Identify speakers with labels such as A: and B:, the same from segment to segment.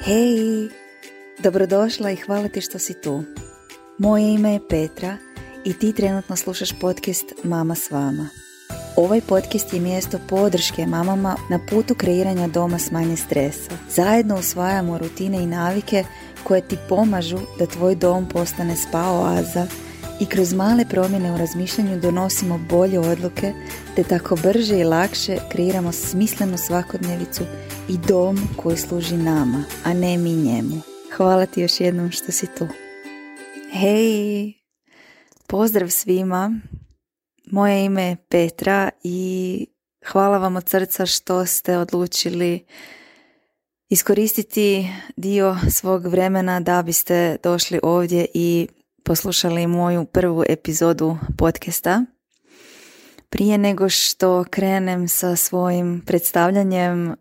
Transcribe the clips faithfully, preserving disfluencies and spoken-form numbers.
A: Hej, dobrodošla i hvala ti što si tu. Moje ime je Petra i ti trenutno slušaš podcast Mama s vama. Ovaj podcast je mjesto podrške mamama na putu kreiranja doma s manje stresa. Zajedno usvajamo rutine i navike koje ti pomažu da tvoj dom postane spa oaza i kroz male promjene u razmišljanju donosimo bolje odluke te tako brže i lakše kreiramo smislenu svakodnevicu i dom koji služi nama, a ne mi njemu. Hvala ti još jednom što si tu. Hej, pozdrav svima. Moje ime je Petra i hvala vam od srca što ste odlučili iskoristiti dio svog vremena da biste došli ovdje i poslušali moju prvu epizodu podcasta. Prije nego što krenem sa svojim predstavljanjem,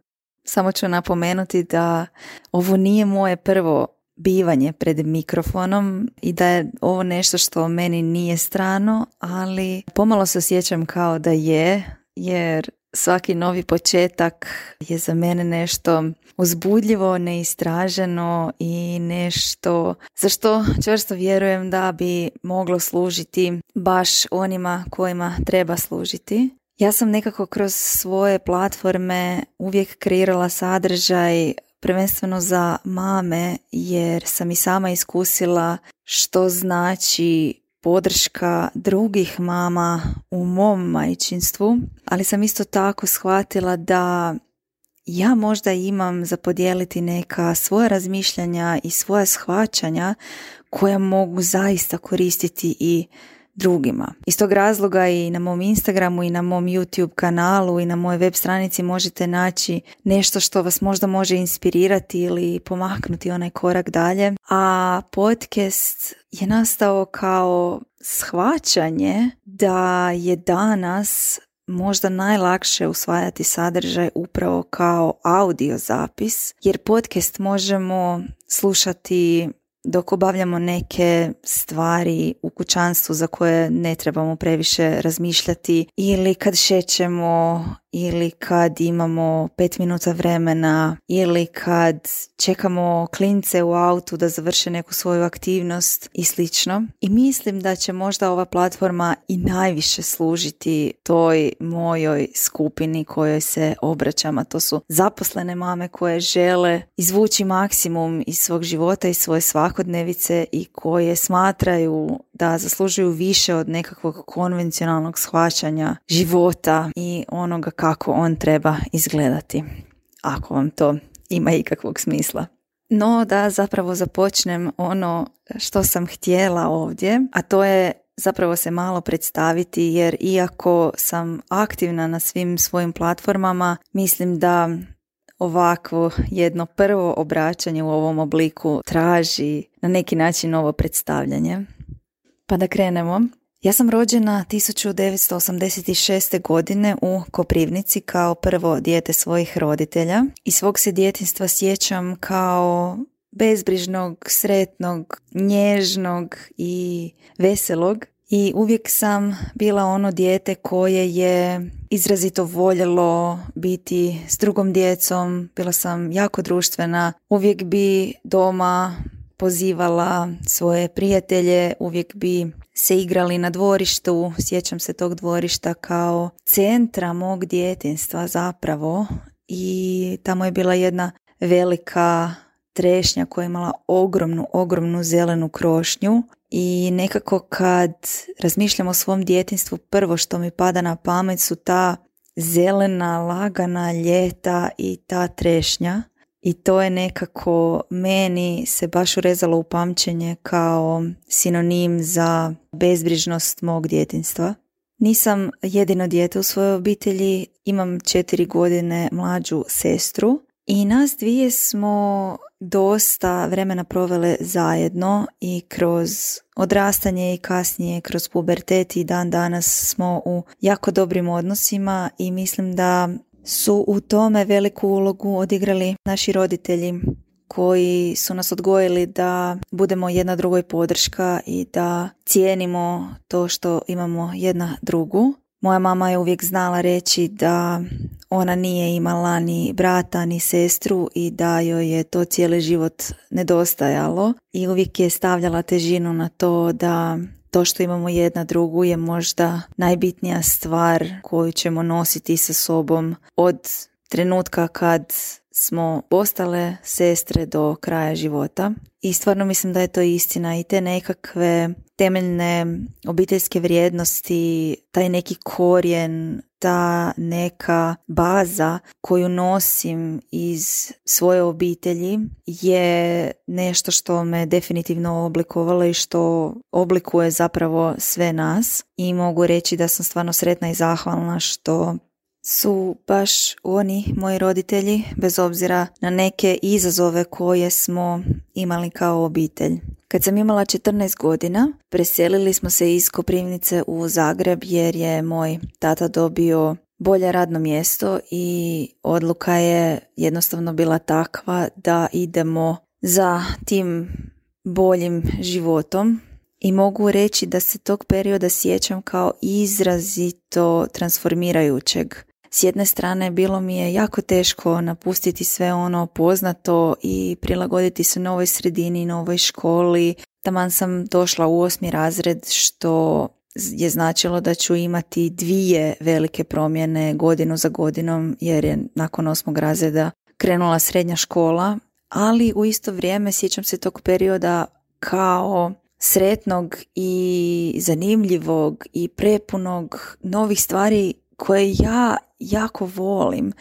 A: samo ću napomenuti da ovo nije moje prvo bivanje pred mikrofonom i da je ovo nešto što meni nije strano, ali pomalo se osjećam kao da je, jer svaki novi početak je za mene nešto uzbudljivo, neistraženo i nešto za što čvrsto vjerujem da bi moglo služiti baš onima kojima treba služiti. Ja sam nekako kroz svoje platforme uvijek kreirala sadržaj prvenstveno za mame, jer sam i sama iskusila što znači podrška drugih mama u mom majčinstvu, ali sam isto tako shvatila da ja možda imam za podijeliti neka svoja razmišljanja i svoja shvaćanja koja mogu zaista koristiti i drugima. Iz tog razloga i na mom Instagramu i na mom YouTube kanalu i na mojoj web stranici možete naći nešto što vas možda može inspirirati ili pomaknuti onaj korak dalje. A podcast je nastao kao shvaćanje da je danas možda najlakše usvajati sadržaj upravo kao audio zapis, jer podcast možemo slušati dok obavljamo neke stvari u kućanstvu za koje ne trebamo previše razmišljati, ili kad šećemo, ili kad imamo pet minuta vremena, ili kad čekamo klince u autu da završe neku svoju aktivnost i slično. I mislim da će možda ova platforma i najviše služiti toj mojoj skupini kojoj se obraćam, a to su zaposlene mame koje žele izvući maksimum iz svog života i svoje svakodnevice i koje smatraju da zaslužuju više od nekakvog konvencionalnog shvaćanja života i onoga kako on treba izgledati, ako vam to ima ikakvog smisla. No da zapravo započnem ono što sam htjela ovdje, a to je zapravo se malo predstaviti, jer iako sam aktivna na svim svojim platformama, mislim da ovakvo jedno prvo obraćanje u ovom obliku traži na neki način ovo predstavljanje. Pa da krenemo. Ja sam rođena tisuću devetsto osamdeset šeste. godine u Koprivnici kao prvo dijete svojih roditelja i svog se djetinjstva sjećam kao bezbrižnog, sretnog, nježnog i veselog. I uvijek sam bila ono dijete koje je izrazito voljelo biti s drugom djecom, bila sam jako društvena, uvijek bi doma pozivala svoje prijatelje, uvijek bi se igrali na dvorištu, sjećam se tog dvorišta kao centra mog djetinjstva zapravo, i tamo je bila jedna velika trešnja koja je imala ogromnu, ogromnu zelenu krošnju i nekako kad razmišljam o svom djetinjstvu, prvo što mi pada na pamet su ta zelena, lagana ljeta i ta trešnja. I to je nekako meni se baš urezalo u pamćenje kao sinonim za bezbrižnost mog djetinjstva. Nisam jedino dijete u svojoj obitelji, imam četiri godine mlađu sestru i nas dvije smo dosta vremena provele zajedno i kroz odrastanje i kasnije kroz pubertet i dan danas smo u jako dobrim odnosima i mislim da su u tome veliku ulogu odigrali naši roditelji koji su nas odgojili da budemo jedna drugoj podrška i da cijenimo to što imamo jedna drugu. Moja mama je uvijek znala reći da ona nije imala ni brata ni sestru i da joj je to cijeli život nedostajalo i uvijek je stavljala težinu na to da to što imamo jedna drugu je možda najbitnija stvar koju ćemo nositi sa sobom od trenutka kad smo postale sestre do kraja života. I stvarno mislim da je to istina i te nekakve temeljne obiteljske vrijednosti, taj neki korijen, ta neka baza koju nosim iz svoje obitelji je nešto što me definitivno oblikovalo i što oblikuje zapravo sve nas. I mogu reći da sam stvarno sretna i zahvalna što su baš oni, moji roditelji, bez obzira na neke izazove koje smo imali kao obitelj. Kad sam imala četrnaest godina, preselili smo se iz Koprivnice u Zagreb jer je moj tata dobio bolje radno mjesto i odluka je jednostavno bila takva da idemo za tim boljim životom. I mogu reći da se tog perioda sjećam kao izrazito transformirajućeg. S jedne strane bilo mi je jako teško napustiti sve ono poznato i prilagoditi se novoj sredini, novoj školi. Taman sam došla u osmi razred što je značilo da ću imati dvije velike promjene godinu za godinom jer je nakon osmog razreda krenula srednja škola. Ali u isto vrijeme sjećam se tog perioda kao sretnog i zanimljivog i prepunog novih stvari koje ja jako volim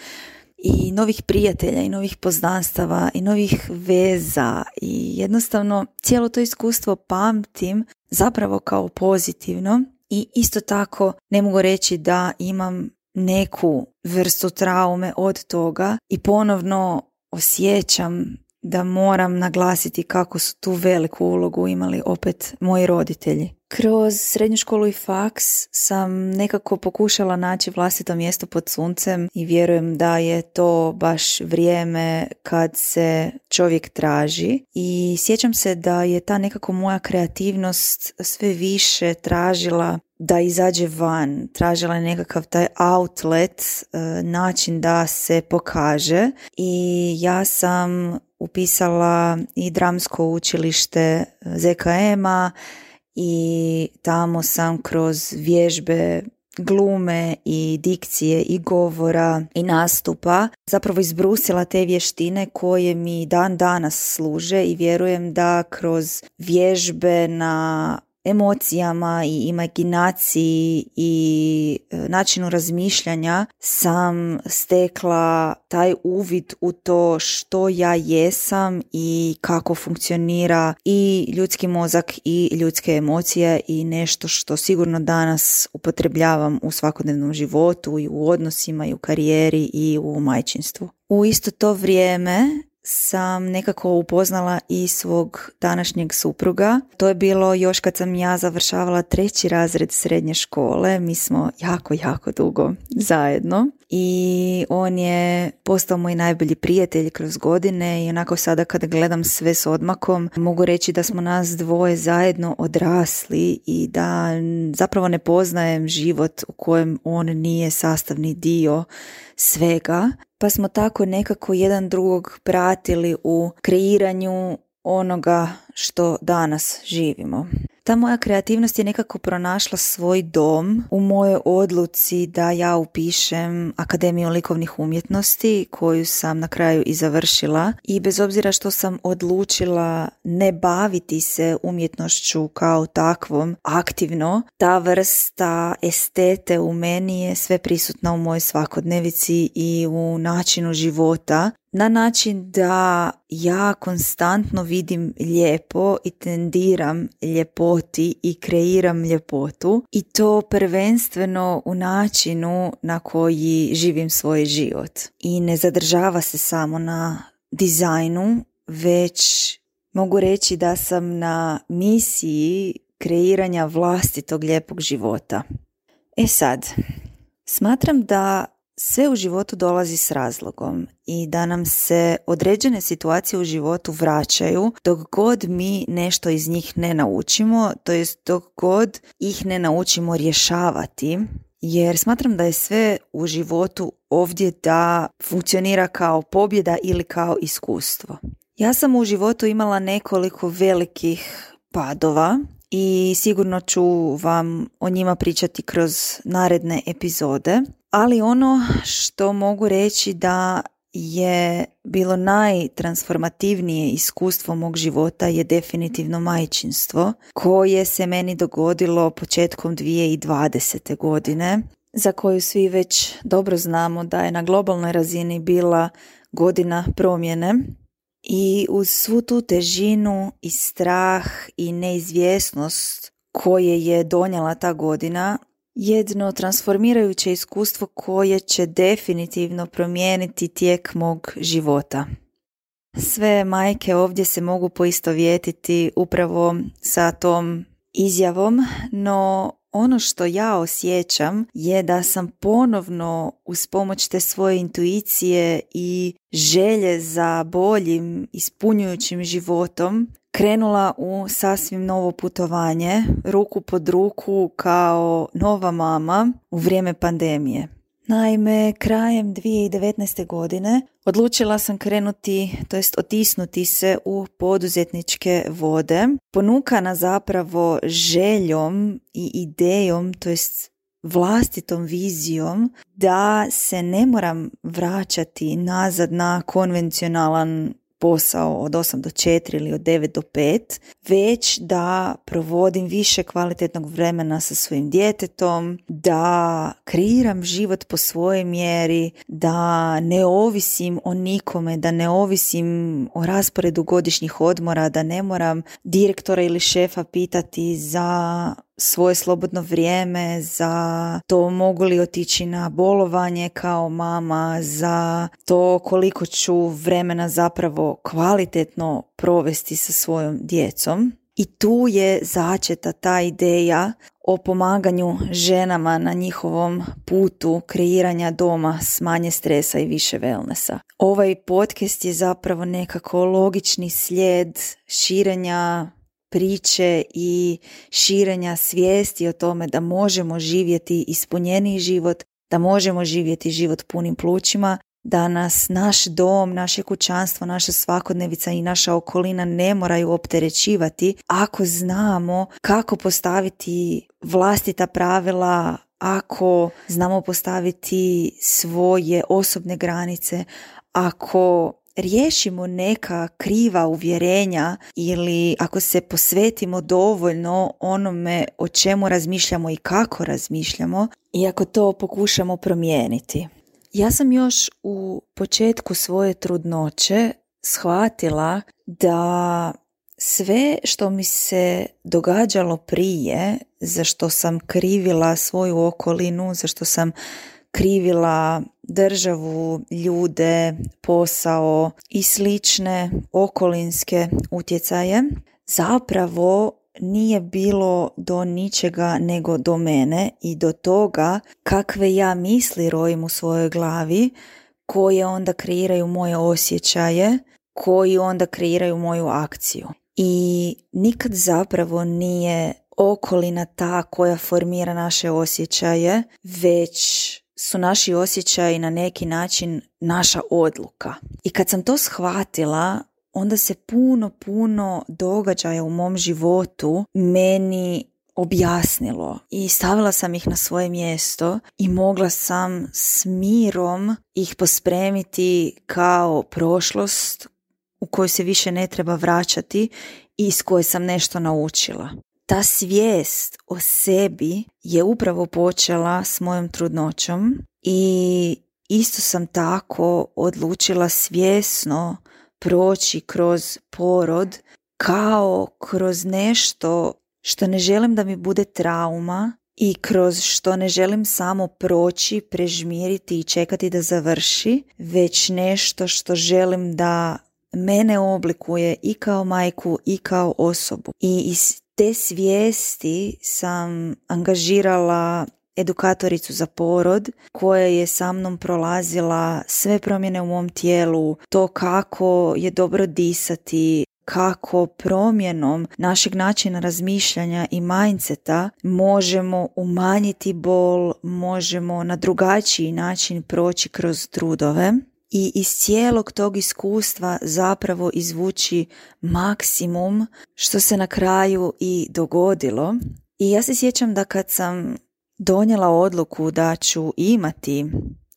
A: i novih prijatelja i novih poznanstava i novih veza i jednostavno cijelo to iskustvo pamtim zapravo kao pozitivno i isto tako ne mogu reći da imam neku vrstu traume od toga i ponovno osjećam da moram naglasiti kako su tu veliku ulogu imali opet moji roditelji. Kroz srednju školu i faks sam nekako pokušala naći vlastito mjesto pod suncem i vjerujem da je to baš vrijeme kad se čovjek traži i sjećam se da je ta nekako moja kreativnost sve više tražila da izađe van, tražila je nekakav taj outlet, način da se pokaže i ja sam upisala i dramsko učilište Z K M-a i tamo sam kroz vježbe glume i dikcije i govora i nastupa zapravo izbrusila te vještine koje mi dan danas služe i vjerujem da kroz vježbe na emocijama i imaginaciji i načinu razmišljanja sam stekla taj uvid u to što ja jesam i kako funkcionira i ljudski mozak i ljudske emocije i nešto što sigurno danas upotrebljavam u svakodnevnom životu i u odnosima i u karijeri i u majčinstvu. U isto to vrijeme sam nekako upoznala i svog današnjeg supruga. To je bilo još kad sam ja završavala treći razred srednje škole. Mi smo jako, jako dugo zajedno i on je postao moj najbolji prijatelj kroz godine i onako sada kad gledam sve s odmakom mogu reći da smo nas dvoje zajedno odrasli i da zapravo ne poznajem život u kojem on nije sastavni dio svega. Pa smo tako nekako jedan drugog pratili u kreiranju onoga što danas živimo. Ta moja kreativnost je nekako pronašla svoj dom u mojoj odluci da ja upišem Akademiju likovnih umjetnosti koju sam na kraju i završila i bez obzira što sam odlučila ne baviti se umjetnošću kao takvom aktivno, ta vrsta estete u meni je sve prisutna u mojoj svakodnevici i u načinu života. Na način da ja konstantno vidim lijepo i tendiram ljepoti i kreiram ljepotu i to prvenstveno u načinu na koji živim svoj život. I ne zadržava se samo na dizajnu, već mogu reći da sam na misiji kreiranja vlastitog lijepog života. E sad, smatram da sve u životu dolazi s razlogom i da nam se određene situacije u životu vraćaju dok god mi nešto iz njih ne naučimo, to jest dok god ih ne naučimo rješavati jer smatram da je sve u životu ovdje da funkcionira kao pobjeda ili kao iskustvo. Ja sam u životu imala nekoliko velikih padova i sigurno ću vam o njima pričati kroz naredne epizode, ali ono što mogu reći da je bilo najtransformativnije iskustvo mog života je definitivno majčinstvo, koje se meni dogodilo početkom dvije tisuće dvadesete. godine, za koju svi već dobro znamo da je na globalnoj razini bila godina promjene. I uz svu tu težinu i strah i neizvjesnost koje je donijela ta godina, jedno transformirajuće iskustvo koje će definitivno promijeniti tijek mog života. Sve majke ovdje se mogu poistovjetiti upravo sa tom izjavom, no ono što ja osjećam je da sam ponovno uz pomoć te svoje intuicije i želje za boljim, ispunjujućim životom krenula u sasvim novo putovanje, ruku pod ruku kao nova mama u vrijeme pandemije. Naime, krajem dvije tisuće devetnaeste. godine odlučila sam krenuti, to jest otisnuti se u poduzetničke vode, ponukana zapravo željom i idejom, to jest vlastitom vizijom da se ne moram vraćati nazad na konvencionalan posao od osam do četiri ili od devet do pet, već da provodim više kvalitetnog vremena sa svojim djetetom, da kreiram život po svojoj mjeri, da ne ovisim o nikome, da ne ovisim o rasporedu godišnjih odmora, da ne moram direktora ili šefa pitati za svoje slobodno vrijeme, za to mogu li otići na bolovanje kao mama, za to koliko ću vremena zapravo kvalitetno provesti sa svojom djecom. I tu je začeta ta ideja o pomaganju ženama na njihovom putu kreiranja doma s manje stresa i više wellnessa. Ovaj podcast je zapravo nekako logični slijed širenja priče i širenja svijesti o tome da možemo živjeti ispunjeniji život, da možemo živjeti život punim plućima, da nas naš dom, naše kućanstvo, naša svakodnevica i naša okolina ne moraju opterećivati ako znamo kako postaviti vlastita pravila, ako znamo postaviti svoje osobne granice, ako riješimo neka kriva uvjerenja ili ako se posvetimo dovoljno onome o čemu razmišljamo i kako razmišljamo i ako to pokušamo promijeniti. Ja sam još u početku svoje trudnoće shvatila da sve što mi se događalo prije, za što sam krivila svoju okolinu, za što sam krivila državu, ljude, posao i slične okolinske utjecaje, zapravo nije bilo do ničega nego do mene i do toga kakve ja misli rojim u svojoj glavi, koje onda kreiraju moje osjećaje, koji onda kreiraju moju akciju. I nikad zapravo nije okolina ta koja formira naše osjećaje, već su naši osjećaji na neki način naša odluka. I kad sam to shvatila, onda se puno, puno događaja u mom životu meni objasnilo i stavila sam ih na svoje mjesto i mogla sam s mirom ih pospremiti kao prošlost u kojoj se više ne treba vraćati i iz koje sam nešto naučila. Ta svijest o sebi je upravo počela s mojom trudnoćom i isto sam tako odlučila svjesno proći kroz porod kao kroz nešto što ne želim da mi bude trauma i kroz što ne želim samo proći, prežmiriti i čekati da završi, već nešto što želim da mene oblikuje i kao majku i kao osobu. I iz te svijesti sam angažirala edukatoricu za porod koja je sa mnom prolazila sve promjene u mom tijelu, to kako je dobro disati, kako promjenom našeg načina razmišljanja i mindseta možemo umanjiti bol, možemo na drugačiji način proći kroz trudove i iz cijelog tog iskustva zapravo izvući maksimum što se na kraju i dogodilo. I ja se sjećam da kad sam donijela odluku da ću imati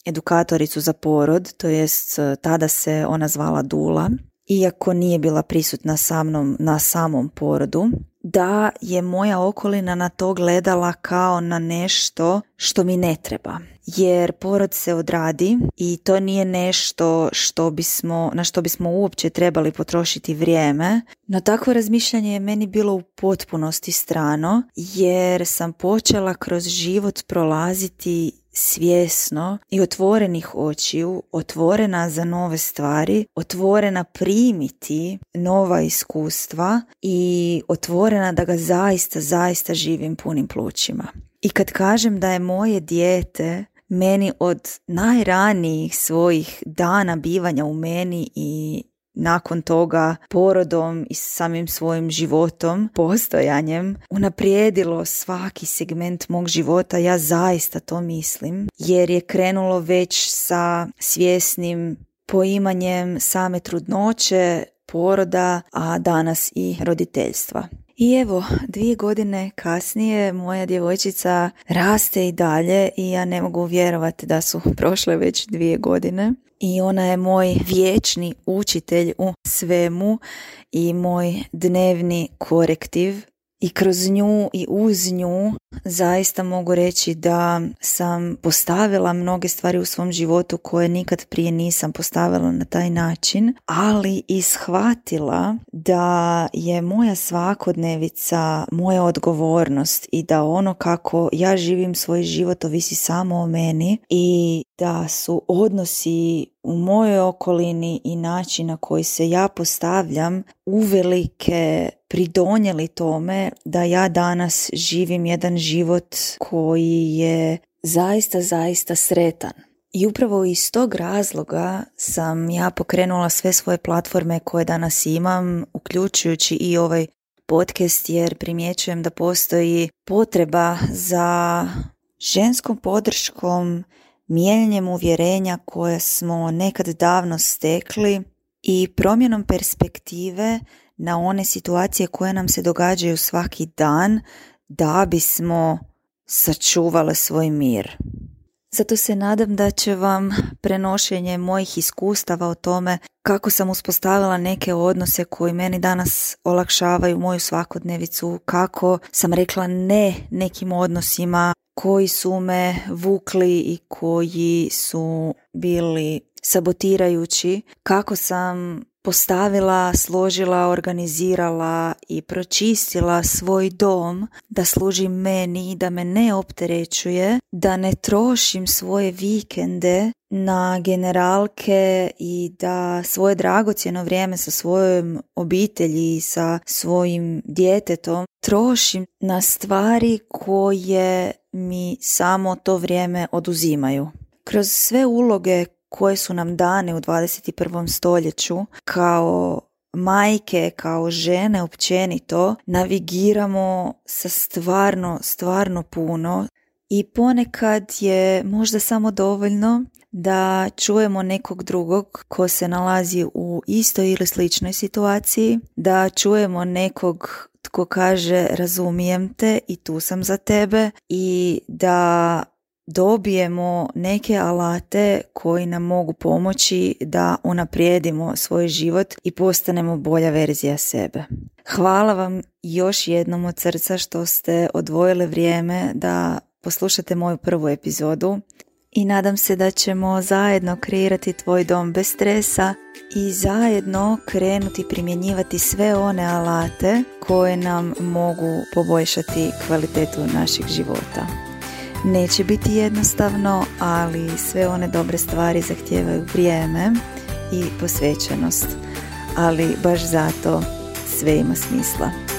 A: edukatoricu za porod, to jest tada se ona zvala Dula, iako nije bila prisutna sa mnom na samom porodu, da je moja okolina na to gledala kao na nešto što mi ne treba. Jer porod se odradi i to nije nešto što bismo, na što bismo uopće trebali potrošiti vrijeme. No takvo razmišljanje je meni bilo u potpunosti strano, jer sam počela kroz život prolaziti svjesno i otvorenih očiju, otvorena za nove stvari, otvorena primiti nova iskustva i otvorena da ga zaista, zaista živim punim plućima. I kad kažem da je moje dijete meni od najranijih svojih dana bivanja u meni i nakon toga porodom i samim svojim životom, postojanjem, unaprijedilo svaki segment mog života, ja zaista to mislim, jer je krenulo već sa svjesnim poimanjem same trudnoće, poroda, a danas i roditeljstva. I evo, dvije godine kasnije moja djevojčica raste i dalje i ja ne mogu vjerovati da su prošle već dvije godine. I ona je moj vječni učitelj u svemu i moj dnevni korektiv. I kroz nju i uz nju zaista mogu reći da sam postavila mnoge stvari u svom životu koje nikad prije nisam postavila na taj način, ali i shvatila da je moja svakodnevica moja odgovornost i da ono kako ja živim svoj život ovisi samo o meni i da su odnosi u mojoj okolini i način na koji se ja postavljam uvelike pridonijeli tome da ja danas živim jedan život koji je zaista, zaista sretan. I upravo iz tog razloga sam ja pokrenula sve svoje platforme koje danas imam, uključujući i ovaj podcast, jer primjećujem da postoji potreba za ženskom podrškom, mijenjanjem uvjerenja koje smo nekad davno stekli i promjenom perspektive na one situacije koje nam se događaju svaki dan da bismo sačuvali svoj mir. Zato se nadam da će vam prenošenje mojih iskustava o tome kako sam uspostavila neke odnose koji meni danas olakšavaju moju svakodnevicu, kako sam rekla ne nekim odnosima koji su me vukli i koji su bili sabotirajući, kako sam postavila, složila, organizirala i pročistila svoj dom da služi meni, da me ne opterećuje, da ne trošim svoje vikende na generalke i da svoje dragocjeno vrijeme sa svojom obitelji i sa svojim djetetom trošim na stvari koje mi samo to vrijeme oduzimaju. Kroz sve uloge koje su nam dane u dvadeset prvom stoljeću kao majke, kao žene općenito, navigiramo sa stvarno, stvarno puno i ponekad je možda samo dovoljno da čujemo nekog drugog ko se nalazi u istoj ili sličnoj situaciji, da čujemo nekog tko kaže razumijem te i tu sam za tebe i da dobijemo neke alate koji nam mogu pomoći da unaprijedimo svoj život i postanemo bolja verzija sebe. Hvala vam još jednom od srca što ste odvojili vrijeme da poslušate moju prvu epizodu i nadam se da ćemo zajedno kreirati tvoj dom bez stresa i zajedno krenuti primjenjivati sve one alate koje nam mogu poboljšati kvalitetu našeg života. Neće biti jednostavno, ali sve one dobre stvari zahtijevaju vrijeme i posvećenost, ali baš zato sve ima smisla.